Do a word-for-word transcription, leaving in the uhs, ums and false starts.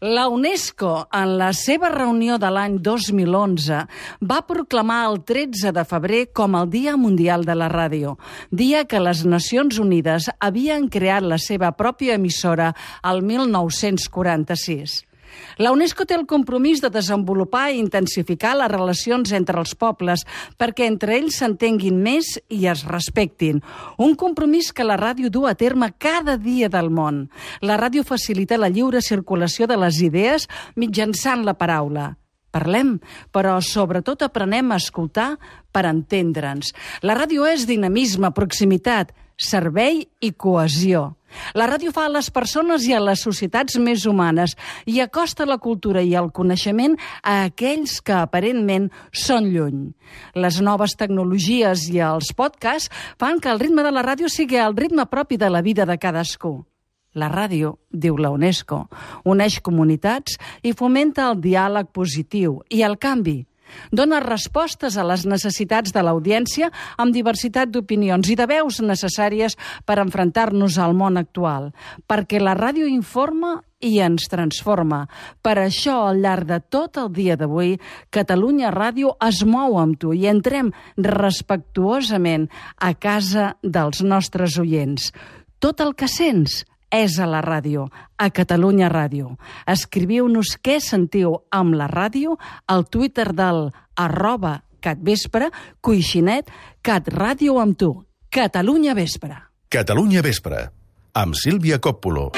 La UNESCO, en la seva reunió de l'any dos mil onze, va proclamar el tretze de febrer com el Dia Mundial de la Ràdio, dia que les Nacions Unides havien creat la seva pròpia emissora el mil nou-cents quaranta-sis. La UNESCO té el compromís de desenvolupar i intensificar les relacions entre els pobles perquè entre ells s'entenguin més i es respectin. Un compromís que la ràdio du a terme cada dia del món. La ràdio facilita la lliure circulació de les idees mitjançant la paraula. Parlem, però sobretot aprenem a escoltar per entendre'ns. La ràdio és dinamisme, proximitat, servei i cohesió. La ràdio fa a les persones i a les societats més humanes i acosta la cultura i el coneixement a aquells que aparentment són lluny. Les noves tecnologies i els podcasts fan que el ritme de la ràdio sigui el ritme propi de la vida de cadascú. La ràdio, diu la UNESCO, uneix comunitats i fomenta el diàleg positiu i el canvi. Dona respostes a les necessitats de l'audiència amb diversitat d'opinions i de veus necessàries per enfrontar-nos al món actual, perquè la ràdio informa i ens transforma. Per això, al llarg de tot el dia d'avui, Catalunya Ràdio es mou amb tu i entrem respectuosament a casa dels nostres oients. Tot el que sents és a la ràdio, a Catalunya Ràdio. Escriviu-nos què sentiu amb la ràdio al Twitter del arroba catvespre, coixinet, catràdio amb tu. Catalunya Vespre. Catalunya Vespre, amb Sílvia Còppolo.